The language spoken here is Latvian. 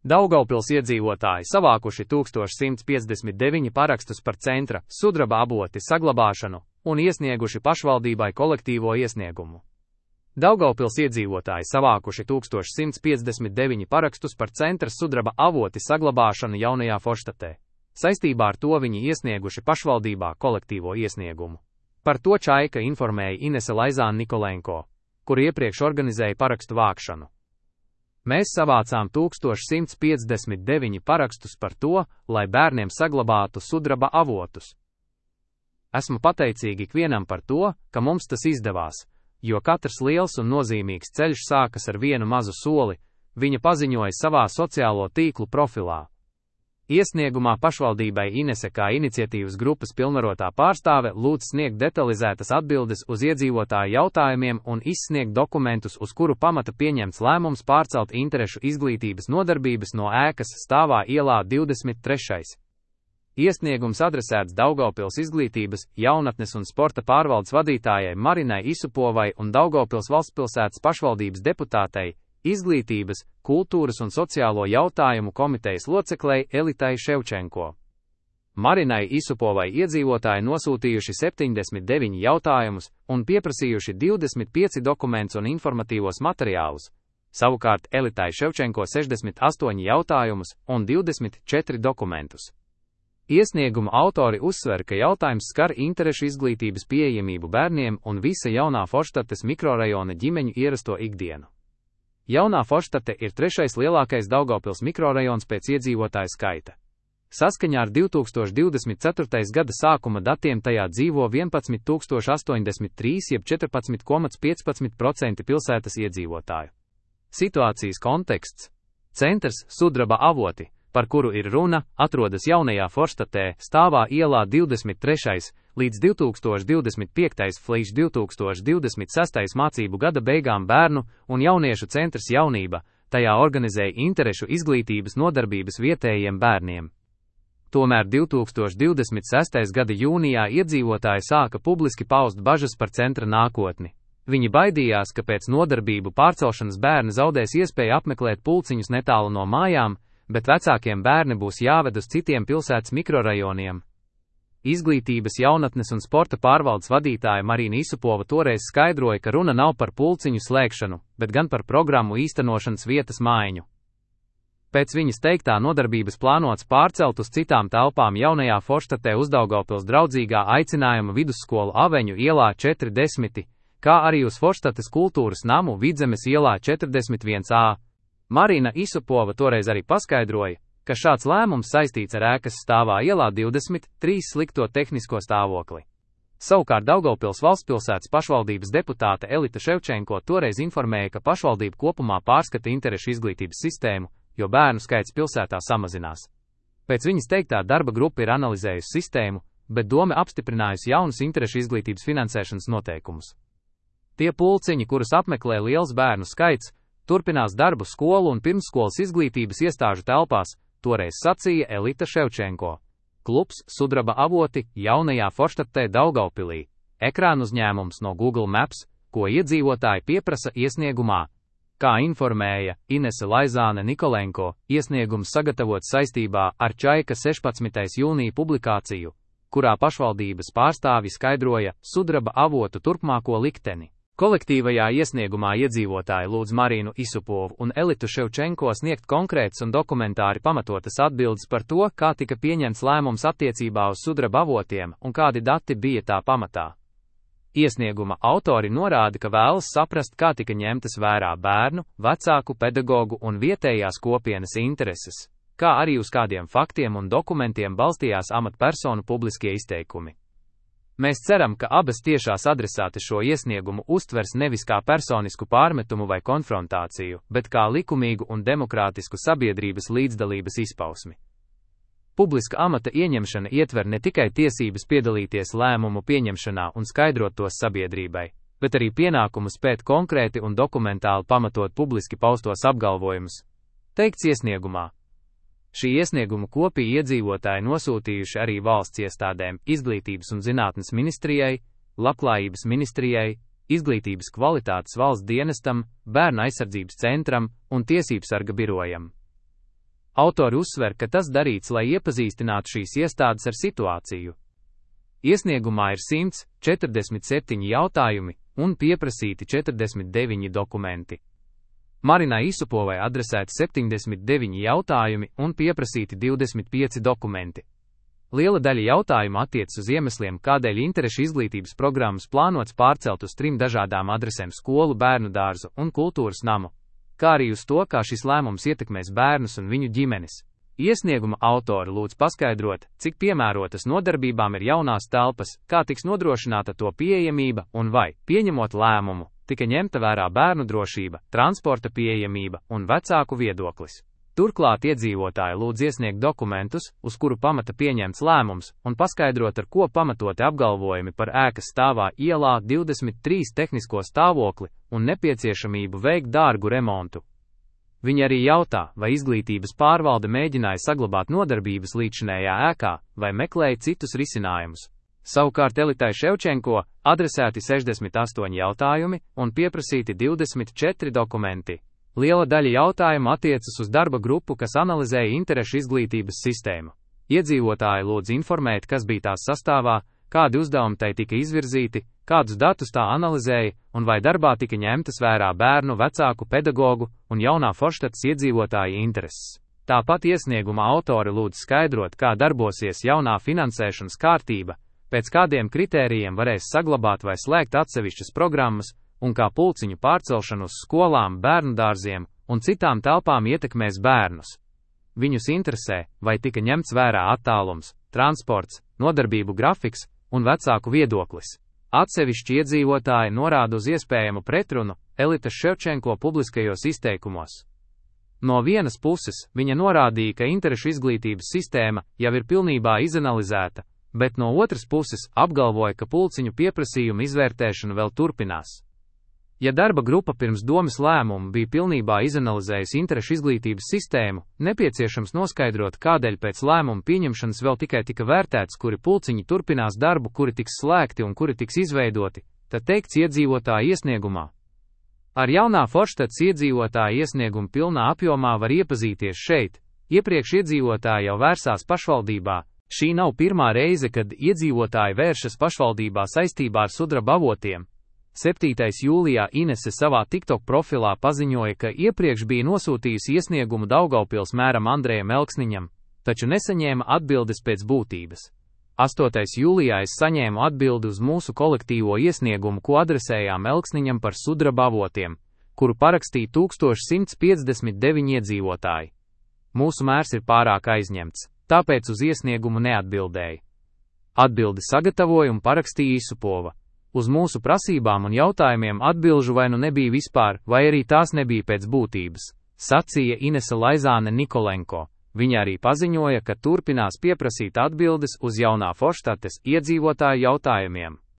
Daugavpils iedzīvotāji savākuši 1159 parakstus par centra sudraba avoti saglabāšanu un iesnieguši pašvaldībai kolektīvo iesniegumu. Daugavpils iedzīvotāji savākuši 1159 parakstus par centra sudraba avoti saglabāšanu Jaunajā Forštatē. Saistībā ar to viņi iesnieguši pašvaldībā kolektīvo iesniegumu. Par to Čaika informēja Inese Laizāne Nikolenko, kur iepriekš organizēja parakstu vākšanu. Mēs savācām 1159 parakstus par to, lai bērniem saglabātu sudraba avotus. Esmu pateicīgi ikvienam par to, ka mums tas izdevās, jo katrs liels un nozīmīgs ceļš sākas ar vienu mazu soli, viņa paziņoja savā sociālo tīklu profilā. Iesniegumā pašvaldībai Inese kā iniciatīvas grupas pilnvarotā pārstāve lūdz sniegt detalizētas atbildes uz iedzīvotāju jautājumiem un izsniegt dokumentus, uz kuru pamata pieņemts lēmums pārcelt interešu izglītības nodarbības no ēkas stāvā ielā 23. Iesniegums adresēts Daugavpils izglītības, jaunatnes un sporta pārvaldes vadītājai Marinai Isupovai un Daugavpils valstspilsētas pašvaldības deputātei, izglītības, kultūras un sociālo jautājumu komitejas loceklei Elitai Ševčenko. Marinai Isupovai iedzīvotāji nosūtījuši 79 jautājumus un pieprasījuši 25 dokumentus un informatīvos materiālus, savukārt Elitai Ševčenko 68 jautājumus un 24 dokumentus. Iesnieguma autori uzsver, ka jautājums skar interešu izglītības pieejamību bērniem un visa Jaunā Forštates mikrorajona ģimeņu ierasto ikdienu. Jaunā Forštate ir trešais lielākais Daugavpils mikrorajons pēc iedzīvotāju skaita. Saskaņā ar 2024. gada sākuma datiem tajā dzīvo 11,083 jeb 14,15% pilsētas iedzīvotāju. Situācijas konteksts. Centrs sudraba avoti, par kuru ir runa, atrodas Jaunajā Forštatē, stāvā ielā 23. līdz 2025. līdz 2026. mācību gada beigām bērnu un jauniešu centrs Jaunība, tajā organizēja interešu izglītības nodarbības vietējiem bērniem. Tomēr 2026. gada jūnijā iedzīvotāji sāka publiski paust bažas par centra nākotni. Viņi baidījās, ka pēc nodarbību pārcelšanas bērni zaudēs iespēju apmeklēt pulciņus netālu no mājām, bet vecākiem bērni būs jāved uz citiem pilsētas mikrorajoniem. Izglītības, jaunatnes un sporta pārvaldes vadītāja Marina Isupova toreiz skaidroja, ka runa nav par pulciņu slēgšanu, bet gan par programmu īstenošanas vietas maiņu. Pēc viņas teiktā nodarbības plānots pārcelt uz citām telpām Jaunajā Forštatē uz Daugavpils draudzīgā aicinājuma vidusskolu Aveņu ielā 40, kā arī uz Forštates kultūras namu Vidzemes ielā 41A. Marina Isupova toreiz arī paskaidroja, ka šāds lēmums saistīts ar ēkas stāvā ielā 23 slikto tehnisko stāvokli. Savukārt Daugavpils valstspilsētas pašvaldības deputāte Elita Ševčenko toreiz informēja, ka pašvaldība kopumā pārskata interešu izglītības sistēmu, jo bērnu skaits pilsētā samazinās. Pēc viņas teiktā darba grupa ir analizējusi sistēmu, bet dome apstiprinājusi jaunus interešu izglītības finansēšanas noteikumus. Tie pulciņi, kurus apmeklē liels bērnu skaits, turpinās darbu skolu un pirmsskolas izglītības iestāžu telpās, toreiz sacīja Elita Ševčenko. Klubs sudraba avoti Jaunajā Forštatē Daugavpilī. Ekrāna uzņēmums no Google Maps, ko iedzīvotāji pieprasa iesniegumā. Kā informēja Inese Laizāne Nikolenko, iesniegums sagatavots saistībā ar Čaika 16. jūnija publikāciju, kurā pašvaldības pārstāvi skaidroja sudraba avotu turpmāko likteni. Kolektīvajā iesniegumā iedzīvotāji lūdz Marinu Isupovu un Elitu Ševčenko sniegt konkrētas un dokumentāri pamatotas atbildes par to, kā tika pieņemts lēmums attiecībā uz sudraba avotiem un kādi dati bija tā pamatā. Iesnieguma autori norāda, ka vēlas saprast, kā tika ņemtas vērā bērnu, vecāku, pedagogu un vietējās kopienas intereses, kā arī uz kādiem faktiem un dokumentiem balstījās amatpersonu publiskie izteikumi. Mēs ceram, ka abas tiešās adresātes šo iesniegumu uztvers nevis kā personisku pārmetumu vai konfrontāciju, bet kā likumīgu un demokrātisku sabiedrības līdzdalības izpausmi. Publiska amata ieņemšana ietver ne tikai tiesības piedalīties lēmumu pieņemšanā un skaidrot tos sabiedrībai, bet arī pienākumu spēt konkrēti un dokumentāli pamatot publiski paustos apgalvojumus. Teikts iesniegumā. Šī iesnieguma kopiju iedzīvotāji nosūtījuši arī valsts iestādēm, Izglītības un zinātnes ministrijai, Labklājības ministrijai, Izglītības kvalitātes valsts dienestam, Bērnu aizsardzības centram un Tiesībsarga birojam. Autori uzsver, ka tas darīts, lai iepazīstinātu šīs iestādes ar situāciju. Iesniegumā ir 147 jautājumi un pieprasīti 49 dokumenti. Marinai Isupovai adresēti 79 jautājumi un pieprasīti 25 dokumenti. Liela daļa jautājumu attiecas uz iemesliem, kādēļ interešu izglītības programmas plānots pārcelt uz 3 dažādām adresēm - skolu, bērnu dārzu un kultūras namu, kā arī uz to, kā šis lēmums ietekmēs bērnus un viņu ģimenes. Iesnieguma autori lūdz paskaidrot, cik piemērotas nodarbībām ir jaunās telpas, kā tiks nodrošināta to pieejamība un vai, pieņemot lēmumu, tika ņemta vērā bērnu drošība, transporta pieejamība un vecāku viedoklis. Turklāt iedzīvotāji lūdz iesniegt dokumentus, uz kuru pamata pieņemts lēmums, un paskaidrot, ar ko pamatoti apgalvojumi par ēkas stāvā ielā 23 tehnisko stāvokli un nepieciešamību veikt dārgu remontu. Viņi arī jautā, vai izglītības pārvalde mēģināja saglabāt nodarbības līdzinējā ēkā, vai meklēja citus risinājumus. Savukārt Elitai Ševčenko adresēti 68 jautājumi un pieprasīti 24 dokumenti. Liela daļa jautājumu attiecas uz darba grupu, kas analizēja interešu izglītības sistēmu. Iedzīvotāji lūdz informēt, kas bija tās sastāvā, kādi uzdevumi tai tika izvirzīti, kādus datus tā analizēja un vai darbā tika ņemtas vērā bērnu, vecāku, pedagogu un jaunā Forštatas iedzīvotāja intereses. Tāpat iesnieguma autori lūdz skaidrot, kā darbosies jaunā finansēšanas kārtība, pēc kādiem kritērijiem varēs saglabāt vai slēgt atsevišķas programmas, un kā pulciņu pārcelšanu uz skolām, bērndārziem un citām telpām ietekmēs bērnus. Viņus interesē, vai tika ņemts vērā attālums, transports, nodarbību grafiks un vecāku viedoklis. Atsevišķi iedzīvotāji norāda uz iespējamu pretrunu Elitas Ševčenko publiskajos izteikumos. No vienas puses, viņa norādīja, ka interešu izglītības sistēma jau ir pilnībā izanalizēta, bet no otras puses apgalvoja, ka pulciņu pieprasījumu izvērtēšana vēl turpinās. Ja darba grupa pirms domes lēmumu bija pilnībā izanalizējusi interešu izglītības sistēmu, nepieciešams noskaidrot, kādēļ pēc lēmuma pieņemšanas vēl tikai tika vērtēts, kuri pulciņi turpinās darbu, kuri tiks slēgti un kuri tiks izveidoti, tad teikts iedzīvotāju iesniegumā. Ar jaunā Forštatas iedzīvotāju iesniegumu pilnā apjomā var iepazīties šeit. Iepriekš iedzīvotāji jau vērsās pašvaldībā. Šī nav pirmā reize, kad iedzīvotāji vēršas pašvaldībā saistībā ar sudraba avotiem. 7. jūlijā Inese savā TikTok profilā paziņoja, ka iepriekš bija nosūtījusi iesniegumu Daugavpils mēram Andrejam Elksniņam, taču nesaņēma atbildes pēc būtības. 8. jūlijā es saņēmu atbildi uz mūsu kolektīvo iesniegumu, ko adresējām Elksniņam par sudraba avotiem, kuru parakstīja 1159 iedzīvotāji. Mūsu mērs ir pārāk aizņemts, tāpēc uz iesniegumu neatbildēja. Atbildi sagatavoja un parakstīja Isupova. Uz mūsu prasībām un jautājumiem atbilžu vai nu nebija vispār, vai arī tās nebija pēc būtības, sacīja Inese Laizāne Nikolenko. Viņa arī paziņoja, ka turpinās pieprasīt atbildes uz jaunā Forštates iedzīvotāju jautājumiem.